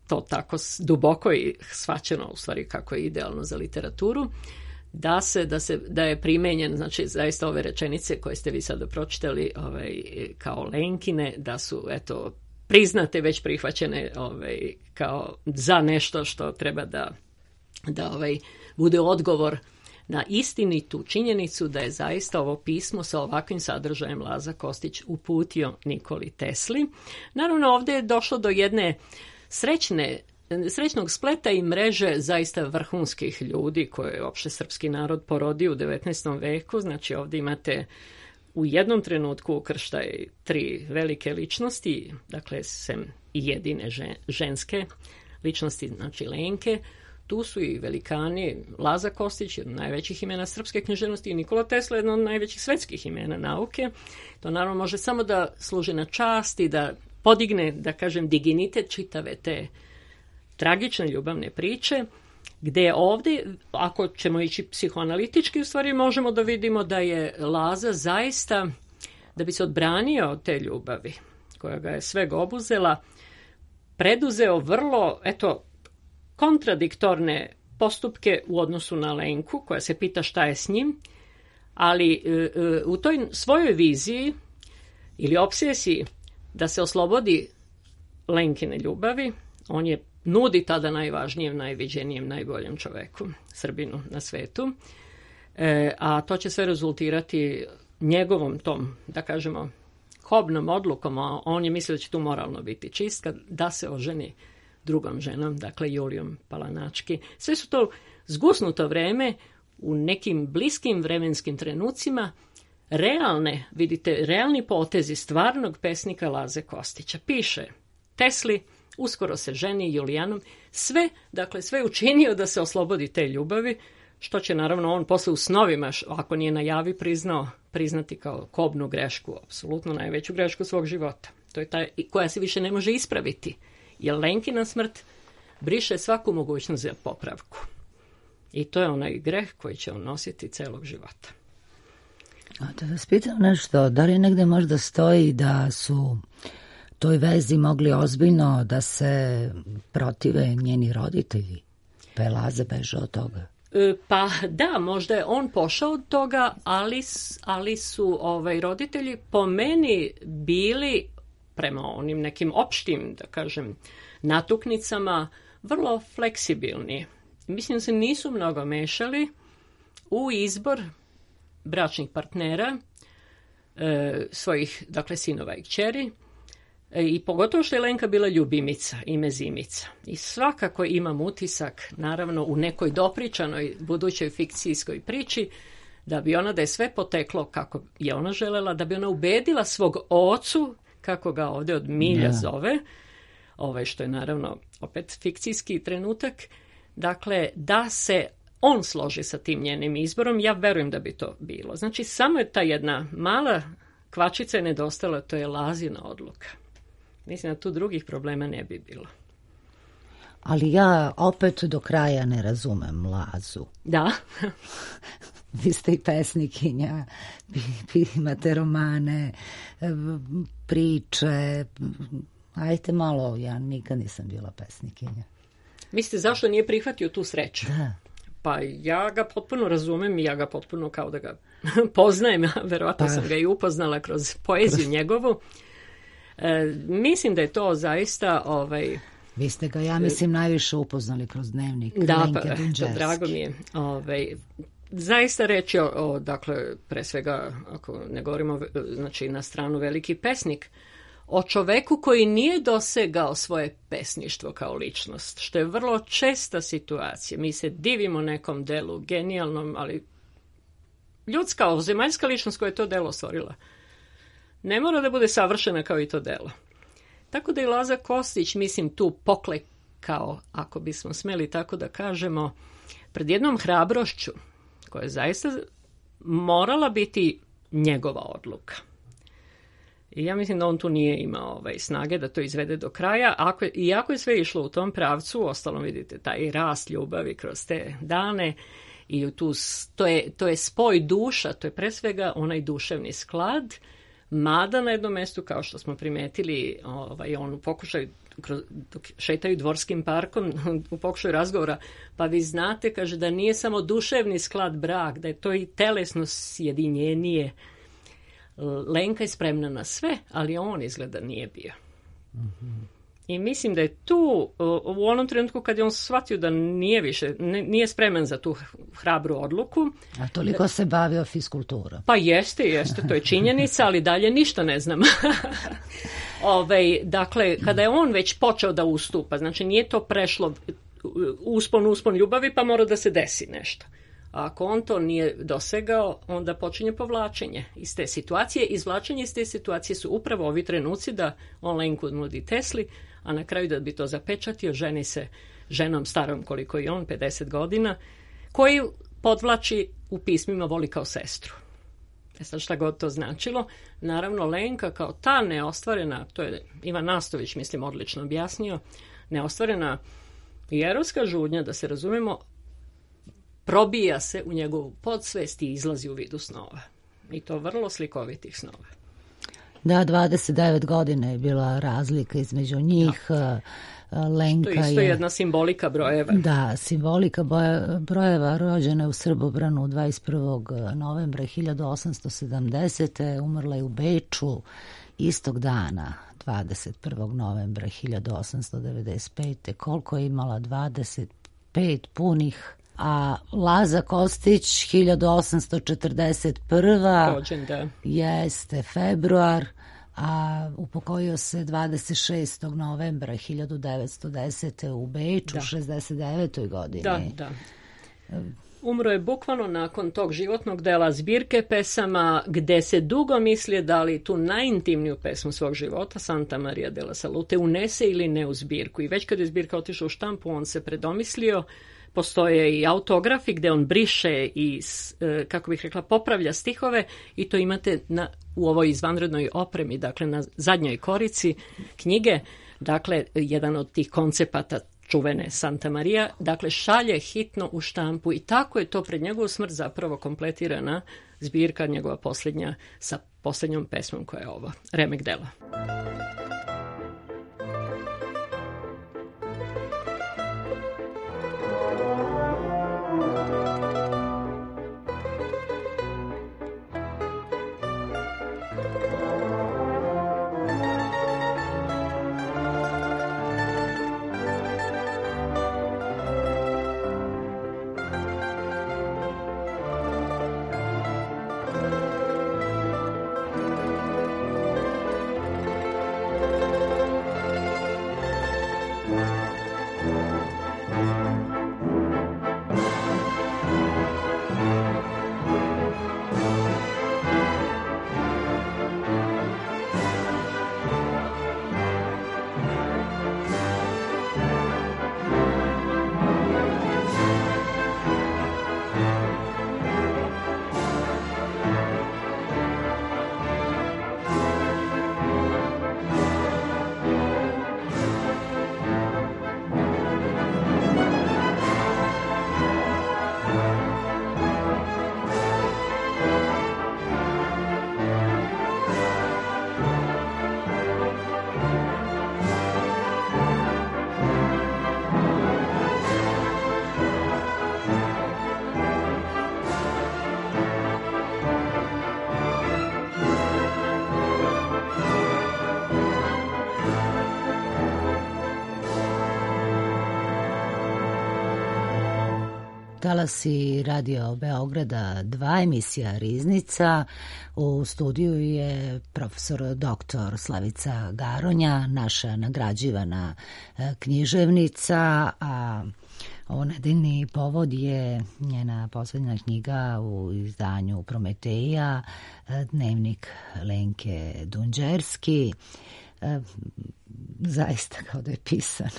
to tako duboko i shvaćeno u stvari kako je idealno za literaturu, da se, da se, da je primenjen, znači zaista ove rečenice koje ste vi sada pročitali ovaj, kao Lenkine, da su eto priznate, već prihvaćene ovaj, kao za nešto što treba da, da ovaj, bude odgovor na istinitu činjenicu da je zaista ovo pismo sa ovakvim sadržajem Laza Kostić uputio Nikoli Tesli. Naravno, ovdje je došlo do jedne srećne, srećnog spleta i mreže zaista vrhunskih ljudi koje je opšte srpski narod porodio u devetnaestom veku. Znači, ovdje imate u jednom trenutku ukrštaj tri velike ličnosti, dakle, sem i jedine ženske ličnosti, znači Lenke. Tu su i velikani, Laza Kostić, jedno od najvećih imena srpske književnosti, i Nikola Tesla, jedno od najvećih svetskih imena nauke. To naravno može samo da služi na čast i da podigne, da kažem, dignitet čitave te tragične ljubavne priče, gde ovdje, ako ćemo ići psihoanalitički, u stvari možemo da vidimo da je Laza zaista, da bi se odbranio od te ljubavi, koja ga je sveg obuzela, preduzeo vrlo, eto, kontradiktorne postupke u odnosu na Lenku, koja se pita šta je s njim, ali u toj svojoj viziji ili obsesiji da se oslobodi Lenkine ljubavi, on je nudi tada najvažnijem, najviđenijem, najboljem čoveku, Srbinu na svetu, e, a to će sve rezultirati njegovom tom, da kažemo, kobnom odlukom, a on je mislio da će tu moralno biti čistka, da se oženi drugom ženom, dakle Julijom Palanački. Sve su to zgusnuto vreme u nekim bliskim vremenskim trenucima, realne, vidite, realni potezi stvarnog pesnika Laze Kostića. Piše Tesli, uskoro se ženi Julijanom, sve, dakle, sve učinio da se oslobodi te ljubavi, što će naravno on posle u snovima, ako nije na javi priznao, priznati kao kobnu grešku, apsolutno najveću grešku svog života. To je ta koja se više ne može ispraviti, jer Lenkina smrt briše svaku mogućnost za popravku. I to je onaj greh koji će on nositi celog života. A da vas pitam nešto, da li negde možda stoji da su toj vezi mogli ozbiljno da se protive njeni roditelji, pa je Laza bežao od toga? E, pa da, možda je on pošao od toga, ali, ali su ovaj, roditelji po meni bili, prema onim nekim opštim, da kažem, natuknicama, vrlo fleksibilni. Mislim da se nisu mnogo mešali u izbor bračnih partnera, e, svojih, dakle, sinova i kćeri, e, i pogotovo što je Lenka bila ljubimica i mezimica. I svakako imam utisak, naravno, u nekoj dopričanoj budućoj fikcijskoj priči, da bi ona, da je sve poteklo kako je ona želela, da bi ona ubedila svog ocu, kako ga ovdje od milja Da. zove, ovaj, što je naravno opet fikcijski trenutak, dakle, da se on složi sa tim njenim izborom, ja verujem da bi to bilo. Znači, samo je ta jedna mala kvačica je nedostala, to je Lazina odluka. Mislim da tu drugih problema ne bi bilo. Ali ja opet do kraja ne razumem Lazu. Da. Vi ste i pesnikinja, vi, vi imate romane, priče. Ajte malo, ja nikad nisam bila pesnikinja. Mislite, zašto nije prihvatio tu sreću? Da. Pa ja ga potpuno razumem i ja ga potpuno kao da ga poznajem, verovatno Pa. sam ga i upoznala kroz poeziju njegovu. E, mislim da je to zaista... Ovaj, Vi ste ga, ja mislim, najviše upoznali kroz dnevnik. da, Lenke pa, Dunđerski. drago mi je. Ovaj, zaista reći o, o, dakle, pre svega, ako ne govorimo, znači, na stranu veliki pesnik, o čoveku koji nije dosegao svoje pesništvo kao ličnost, što je vrlo česta situacija. Mi se divimo nekom delu, genijalnom, ali ljudska, zemaljska ličnost koja je to delo stvorila, ne mora da bude savršena kao i to delo. Tako da je Laza Kostić, mislim, tu poklekao, ako bismo smeli tako da kažemo, pred jednom hrabrošću, koja je zaista morala biti njegova odluka. I ja mislim da on tu nije imao ovaj, snage da to izvede do kraja. Ako je, iako je sve išlo u tom pravcu, ostalom vidite taj rast ljubavi kroz te dane i tu, to, je, to je spoj duša, to je pre svega onaj duševni sklad, mada na jednom mjestu, kao što smo primetili, ovaj, on u pokušaju, kroz, dok šetaju dvorskim parkom, u pokušaju razgovora, pa vi znate, kaže, da nije samo duševni sklad brak, da je to i telesno sjedinjenije. Lenka je spremna na sve, ali on izgleda nije bio. Mm-hmm. I mislim da je tu, u onom trenutku kad je on shvatio da nije više, nije spreman za tu hrabru odluku. A toliko da, se bavio fiskulturom. Pa jeste, jeste, to je činjenica, ali dalje ništa ne znam. Ove, dakle, kada je on već počeo da ustupa, znači nije to prešlo uspon, uspon ljubavi, pa mora da se desi nešto. A ako on to nije dosegao, onda počinje povlačenje iz te situacije. Izvlačenje iz te situacije su upravo ovi trenuci da on Lenku nudi Tesli, a na kraju da bi to zapečatio, ženi se ženom starom koliko i on, pedeset godina, koji podvlači u pismima voli kao sestru. E sad šta god to značilo, naravno Lenka kao ta neostvarena, to je Ivan Nastović, mislim, odlično objasnio, neostvarena jerovska žudnja, da se razumemo, probija se u njegovu podsvest i izlazi u vidu snova. I to vrlo slikovitih snova. Da, dvadeset devet godina je bila razlika između njih. Da. Lenka to je isto je jedna simbolika brojeva. Da, simbolika boja, brojeva. Rođena je u Srbobranu dvadeset prvog novembra hiljadu osamsto sedamdesete. Umrla je u Beču istog dana, dvadeset prvog novembra hiljadu osamsto devedeset pete. Koliko je imala? dvadeset pet punih. A Laza Kostić hiljadu osamsto četrdeset prva. Rođen, da. Jeste februar, a upokojio se dvadeset šestog novembra hiljadu devetsto desete. u Beču, da. šezdeset devetoj godini. Da, da. Umro je bukvalno nakon tog životnog dela zbirke pesama gde se dugo misli da li tu najintimniju pesmu svog života, Santa Maria della Salute, unese ili ne u zbirku. I već kad je zbirka otišla u štampu, on se predomislio. Postoje i autografi gde on briše i, kako bih rekla, popravlja stihove i to imate na, u ovoj izvanrednoj opremi, dakle na zadnjoj korici knjige, dakle jedan od tih koncepata čuvene Santa Maria, dakle šalje hitno u štampu i tako je to pred njegovu smrt zapravo kompletirana zbirka njegova posljednja sa posljednjom pesmom koja je ovo, Remek dela. Talasi Radio Beograda dva, emisija Riznica. U studiju je profesor doktor Slavica Garonja, naša nagrađivana književnica, a ovo nedeljni povod je njena poslednja knjiga u izdanju Prometeja, Dnevnik Lenke Dunđerski. Zaista kao da je pisan,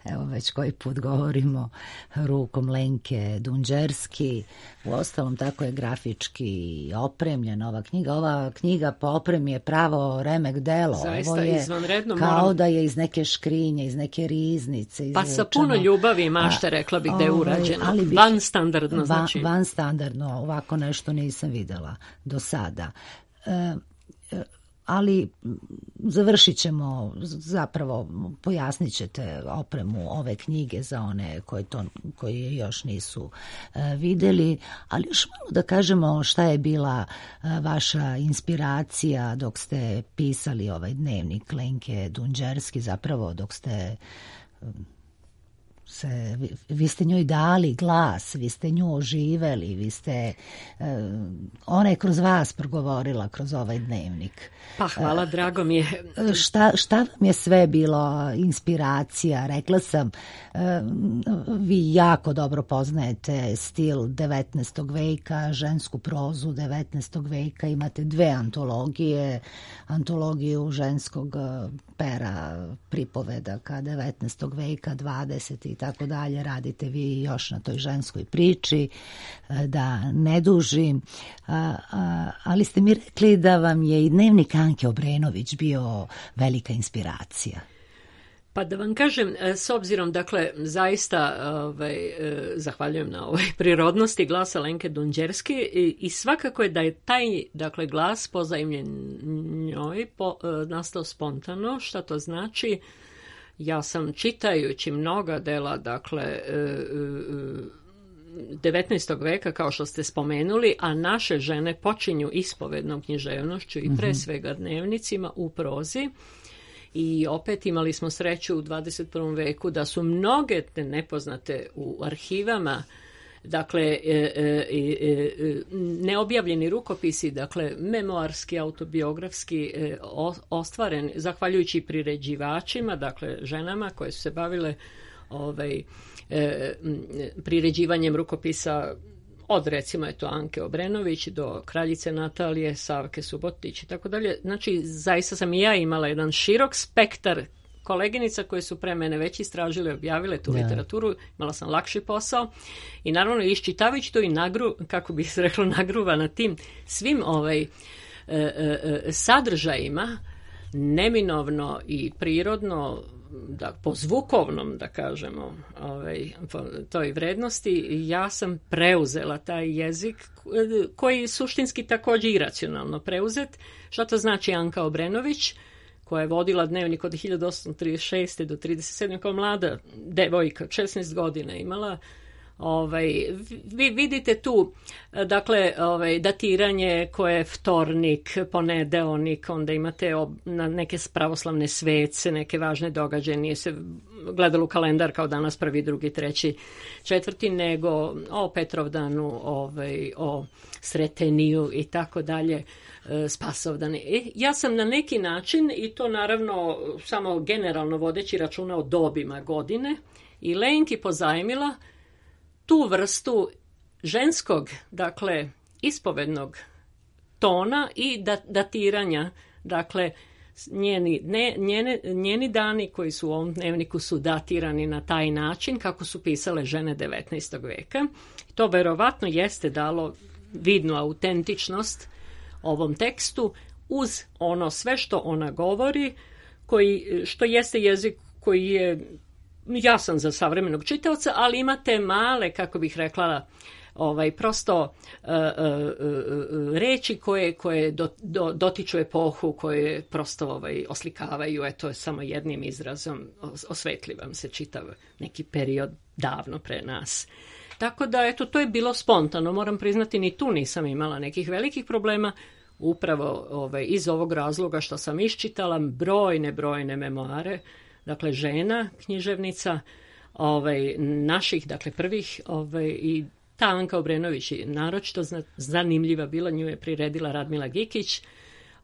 evo već koji put govorimo, rukom Lenke Dunđerski. Uostalom, tako je grafički opremljena ova knjiga. Ova knjiga po opremi je pravo remek delo. Zaista Ovo je izvanredno. kao moram... da je iz neke škrinje, iz neke riznice. Pa sa puno ljubavi i mašte, rekla bih da je urađeno. Ali bih, van standardno, znači. Van, van standardno, ovako nešto nisam videla do sada. E, ali završit ćemo, zapravo pojasnit ćete opremu ove knjige za one koji, to, koji je još nisu e, videli, ali još malo da kažemo šta je bila e, vaša inspiracija dok ste pisali ovaj dnevnik Lenke Dunđerski, zapravo dok ste... E, Se, vi, vi ste njoj dali glas, vi ste nju oživeli, vi ste, e, ona je kroz vas progovorila kroz ovaj dnevnik. Pa hvala, e, drago mi je. Šta, šta vam je sve bilo inspiracija? Rekla sam, e, vi jako dobro poznajete stil devetnaestog veka, žensku prozu devetnaestog veka, imate dve antologije, antologiju ženskog pera pripovedaka devetnaestog veka, dvadesetog i tako dalje, radite vi još na toj ženskoj priči, da ne dužim, ali ste mi rekli da vam je i dnevnik Anke Obrenović bio velika inspiracija. Pa da vam kažem, s obzirom, dakle, zaista ovaj, zahvaljujem na ovoj prirodnosti glasa Lenke Dunđerski i, i svakako je da je taj, dakle, glas pozajmljen njoj po, nastao spontano. Šta to znači? Ja sam čitajući mnoga dela, dakle, devetnaestog veka, kao što ste spomenuli, a naše žene počinju ispovednom književnošću i pre svega dnevnicima u prozi. I opet imali smo sreću u dvadeset prvom veku da su mnoge te nepoznate u arhivama, dakle, e, e, e, neobjavljeni rukopisi, dakle, memoarski, autobiografski, e, ostvaren, zahvaljujući priređivačima, dakle, ženama koje su se bavile ovaj, e, priređivanjem rukopisa od, recimo, eto, Anke Obrenović do kraljice Natalije, Savke Subotić i tako dalje. Znači, zaista sam i ja imala jedan širok spektar koleginica koje su pre mene već istražile, objavile tu yeah. literaturu, imala sam lakši posao i naravno iščitavajući to i nagru, kako bi se reklo, nagruva na tim svim ovaj, e, e, sadržajima, neminovno i prirodno, da, po zvukovnom, da kažemo, ovaj, po toj vrednosti, ja sam preuzela taj jezik koji suštinski također iracionalno preuzet. Šta to znači Anka Obrenović, koja je vodila dnevnik od hiljadu osamsto trideset šeste do trideset sedme kao mlada devojka, šesnaest godina imala. Ovaj, vi vidite tu, dakle, ovaj, datiranje koje je vtornik, ponedeonik, onda imate ob, na neke pravoslavne svece, neke važne događaje, nije se gledalo u kalendar kao danas prvi, drugi, treći, četvrti, nego o Petrovdanu, ovaj, o Sreteniju i tako dalje, Spasovdani. E, ja sam na neki način, i to naravno samo generalno vodeći računa o dobima godine, i Lenki pozajmila tu vrstu ženskog, dakle, ispovednog tona i datiranja, dakle, njeni, ne, njene, njeni dani koji su u ovom dnevniku su datirani na taj način kako su pisale žene devetnaestog veka. To verovatno jeste dalo vidnu autentičnost ovom tekstu uz ono sve što ona govori, koji, što jeste jezik koji je jasan za savremenog čitaoca, ali imate male, kako bih rekla, ovaj, prosto uh, uh, uh, reči koje, koje do, do, dotiču epohu, koje prosto ovaj, oslikavaju, eto, samo jednim izrazom osvetli vam se čitav neki period davno pre nas. Tako da, eto, to je bilo spontano, moram priznati, ni tu nisam imala nekih velikih problema, upravo ovaj, iz ovog razloga što sam iščitala brojne, brojne memoare, dakle, žena, književnica, ovaj, naših, dakle, prvih, ovaj, i Ta Anka Obrenović je naročito zanimljiva bila, nju je priredila Radmila Gikić,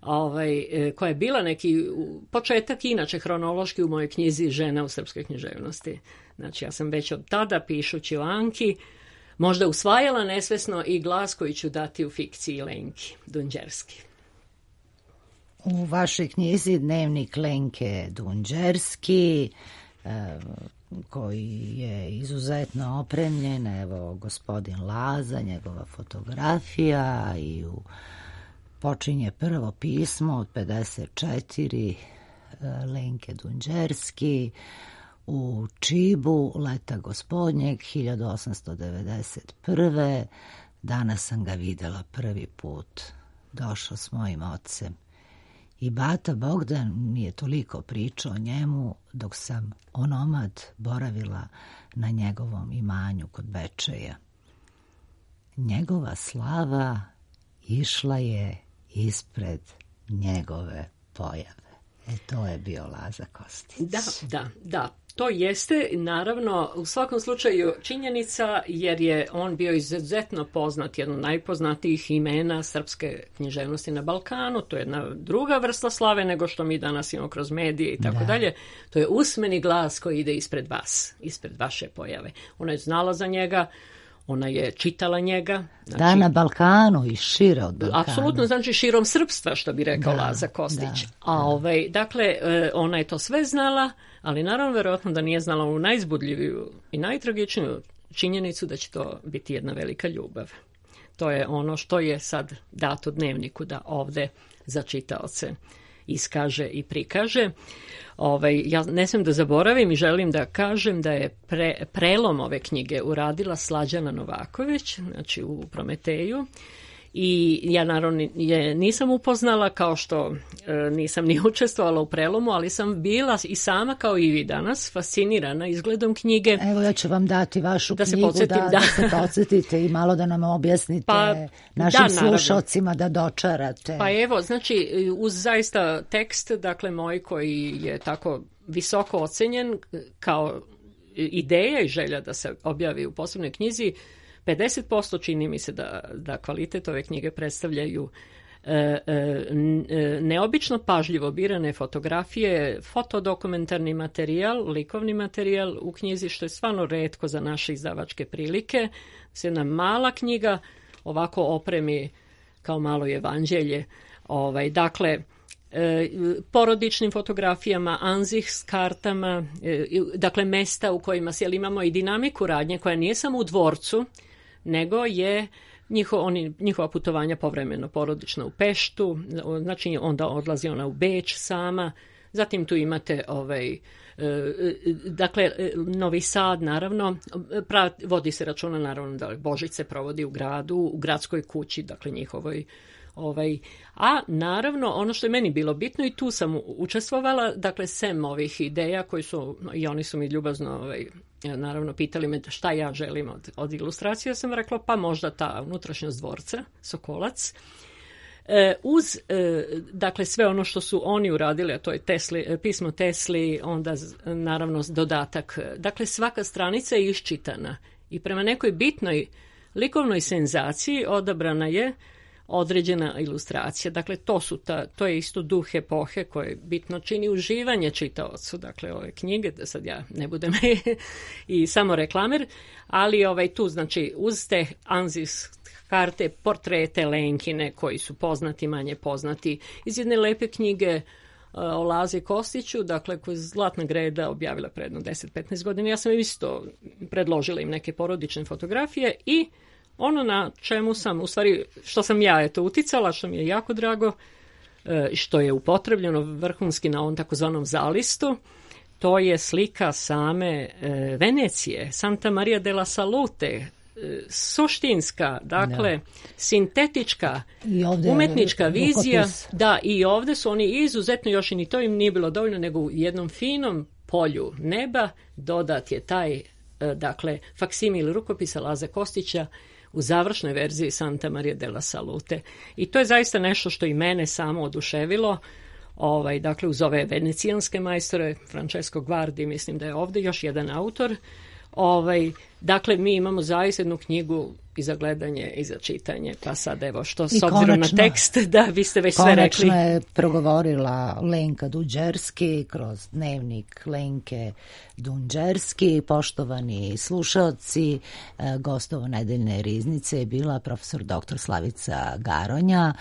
ovaj, koja je bila neki početak inače hronološki u mojoj knjizi Žena u srpskoj književnosti. Znači ja sam već od tada pišući o Anki možda usvajala nesvesno i glas koji ću dati u fikciji Lenki Dunđerski. U vašoj knjizi Dnevnik Lenke Dunđerski, koji je izuzetno opremljen, evo gospodin Laza, njegova fotografija, i u počinje prvo pismo od pedeset četiri Lenke Dunđerski u Čibu leta gospodnjeg hiljadu osamsto devedeset prve. Danas sam ga videla prvi put. Došao s mojim ocem. I bata Bogdan mi je toliko pričao o njemu dok sam onomad boravila na njegovom imanju kod Bečeja. Njegova slava išla je ispred njegove pojave. E, to je bio Laza Kostić. Da, da, da. To jeste, naravno, u svakom slučaju činjenica, jer je on bio izuzetno poznat, jedno najpoznatijih imena srpske književnosti na Balkanu. To je jedna druga vrsta slave nego što mi danas imamo kroz medije i tako dalje. To je usmeni glas koji ide ispred vas, ispred vaše pojave. Ona je znala za njega, ona je čitala njega. Znači, da, na Balkanu i šire od Balkana. Apsolutno, znači širom srpstva, što bi rekao da, Laza Kostić. Da, A da. Ovaj, dakle, ona je to sve znala, ali naravno verovatno da nije znala u najzbudljiviju i najtragičniju činjenicu da će to biti jedna velika ljubav. To je ono što je sad dato Dnevniku da ovde za čitaoce iskaže i prikaže. Ovaj, ja ne smijem da zaboravim i želim da kažem da je pre, prelom ove knjige uradila Slađana Novaković, znači u Prometeju. I ja naravno je nisam upoznala, kao što e, nisam ni učestvovala u prelomu, ali sam bila i sama kao i vi danas fascinirana izgledom knjige. Evo ja ću vam dati vašu da knjigu, se podsjetim, da, da. da se podsjetite i malo da nam objasnite pa, našim da, slušalcima da dočarate. Pa evo, znači uz zaista tekst, dakle moj koji je tako visoko ocenjen kao ideja i želja da se objavi u posebnoj knjizi, pedeset posto čini mi se da, da kvalitet ove knjige predstavljaju e, e, neobično pažljivo birane fotografije, fotodokumentarni materijal, likovni materijal u knjizi, što je stvarno retko za naše izdavačke prilike. Se jedna mala knjiga ovako opremi kao malo evanđelje. Ovaj, dakle, e, porodičnim fotografijama, anzih s kartama, e, dakle mesta u kojima se, imamo i dinamiku radnje koja nije samo u dvorcu, nego je njiho, oni, njihova putovanja povremeno porodično u Peštu, znači onda odlazi ona u Beč sama, zatim tu imate ovaj, dakle Novi Sad, naravno, prav, vodi se računa naravno da Božić se provodi u gradu, u gradskoj kući, dakle njihovoj. Ovaj, a naravno ono što je meni bilo bitno i tu sam učestvovala, dakle sem ovih ideja koji su, i oni su mi ljubazno ovaj, naravno pitali me šta ja želim od, od ilustracija, sam rekla pa možda ta unutrašnjost dvorca, Sokolac. E, uz e, dakle sve ono što su oni uradili, a to je Tesli, pismo Tesli, onda naravno dodatak, dakle svaka stranica je iščitana i prema nekoj bitnoj likovnoj senzaciji odabrana je određena ilustracija. Dakle, to su ta, to je isto duh epohe koje bitno čini uživanje čitaocu, dakle ove knjige, da sad ja ne budem i samo reklamer, ali ovaj tu, znači, uz te anzis karte, portrete Lenkine koji su poznati, manje poznati, iz jedne lepe knjige o Lazi Kostiću, dakle, koju je Zlatna Greda objavila predno deset do petnaest godina. Ja sam isto predložila im neke porodične fotografije i ono na čemu sam, u stvari, što sam ja eto uticala, što mi je jako drago, što je upotrebljeno vrhunski na ovom takozvanom zalistu, to je slika same Venecije, Santa Maria della Salute, suštinska, dakle, da. Sintetička, umetnička vizija. Rukopis. Da, i ovde su oni izuzetno, još i ni to im nije bilo dovoljno, nego u jednom finom polju neba dodat je taj, dakle, faksimil rukopisa Laze Kostića u završnoj verziji Santa Maria della Salute. I to je zaista nešto što i mene samo oduševilo. Ovaj, dakle, uz ove venecijanske majstore, Francesco Guardi, mislim da je ovde još jedan autor, ovaj, Dakle, mi imamo zaista jednu knjigu i za gledanje i za čitanje, pa sad evo što s I obzirom konačno, na tekst, da vi ste već sve rekli. Konačno je progovorila Lenka Dunđerski kroz dnevnik Lenke Dunđerski. Poštovani slušaoci, gostovo nedeljne riznice je bila profesor doktor Slavica Garonja,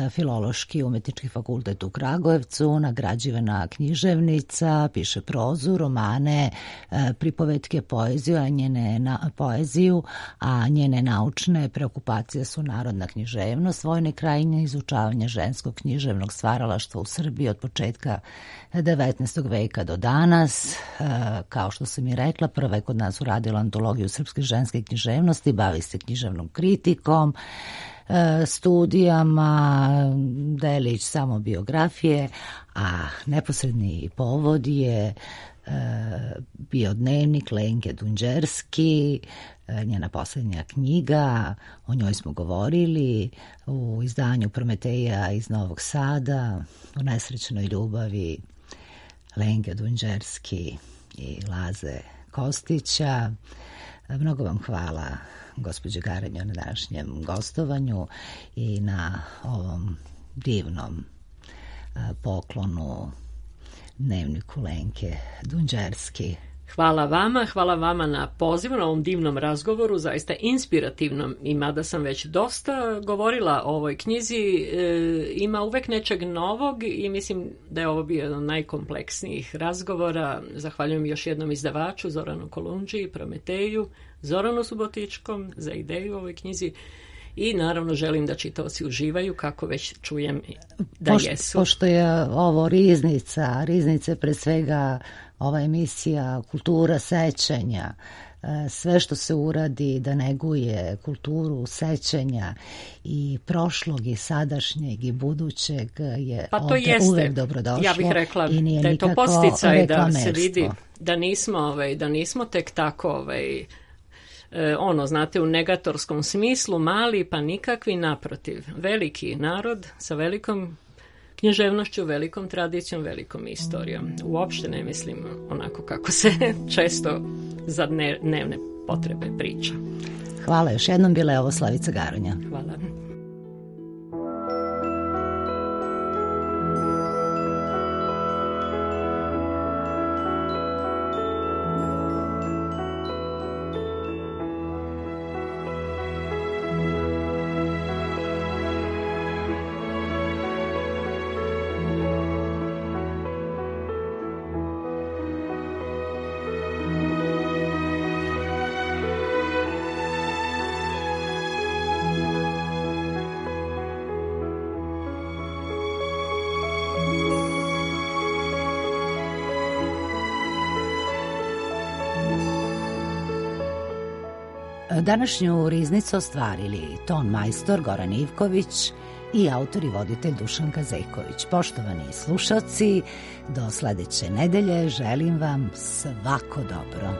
Filološki umetnički fakultet u Kragujevcu, nagrađivana književnica, piše prozu, romane, pripovetke, poeziju, a njene na, poeziju, a njene naučne preokupacije su narodna književnost, vojne krajine, izučavanje ženskog književnog stvaralaštva u Srbiji od početka devetnaestog veka do danas. Kao što sam i rekla, prva je kod nas uradila antologiju srpske ženske književnosti, bavi se književnom kritikom, studijama, delić samo biografije, a neposredni povod je bio dnevnik Lenke Dunđerski, njena posljednja knjiga, o njoj smo govorili u izdanju Prometeja iz Novog Sada, u nesrećnoj ljubavi Lenke Dunđerski i Laze Kostića. Mnogo vam hvala, gospođe Garanjo, na današnjem gostovanju i na ovom divnom poklonu dnevniku Lenke Dunđerski. Hvala vama, hvala vama na pozivu, na ovom divnom razgovoru, zaista inspirativnom, i mada sam već dosta govorila o ovoj knjizi, e, ima uvek nečeg novog i mislim da je ovo bio jedan od najkompleksnijih razgovora. Zahvaljujem još jednom izdavaču Zoranu Kolundži, Prometeju, Zoranu Subotičkom za ideju u ovoj knjizi i naravno želim da čitaoci uživaju, kako već čujem da Pošto, jesu. Pošto je ovo riznica, riznice pre svega ova emisija kultura sećanja, sve što se uradi da neguje kulturu sećanja i prošlog i sadašnjeg i budućeg je pa to ovdje jeste. Uvek dobrodošlo. Ja bih rekla i nije da je to nikako podsticaj da se vidi reklamerstvo. da nismo, ovaj, da nismo tek tako ovaj, ono, znate, u negatorskom smislu, mali pa nikakvi, naprotiv. Veliki narod sa velikom književnošću, velikom tradicijom, velikom istorijom. Uopšte ne mislim onako kako se često za dnevne potrebe priča. Hvala još jednom, bila je ovo Slavica Garonja. Hvala. Današnju riznicu ostvarili ton majstor Goran Ivković i autor i voditelj Dušan Kazejković. Poštovani slušaoci, do sledeće nedelje želim vam svako dobro.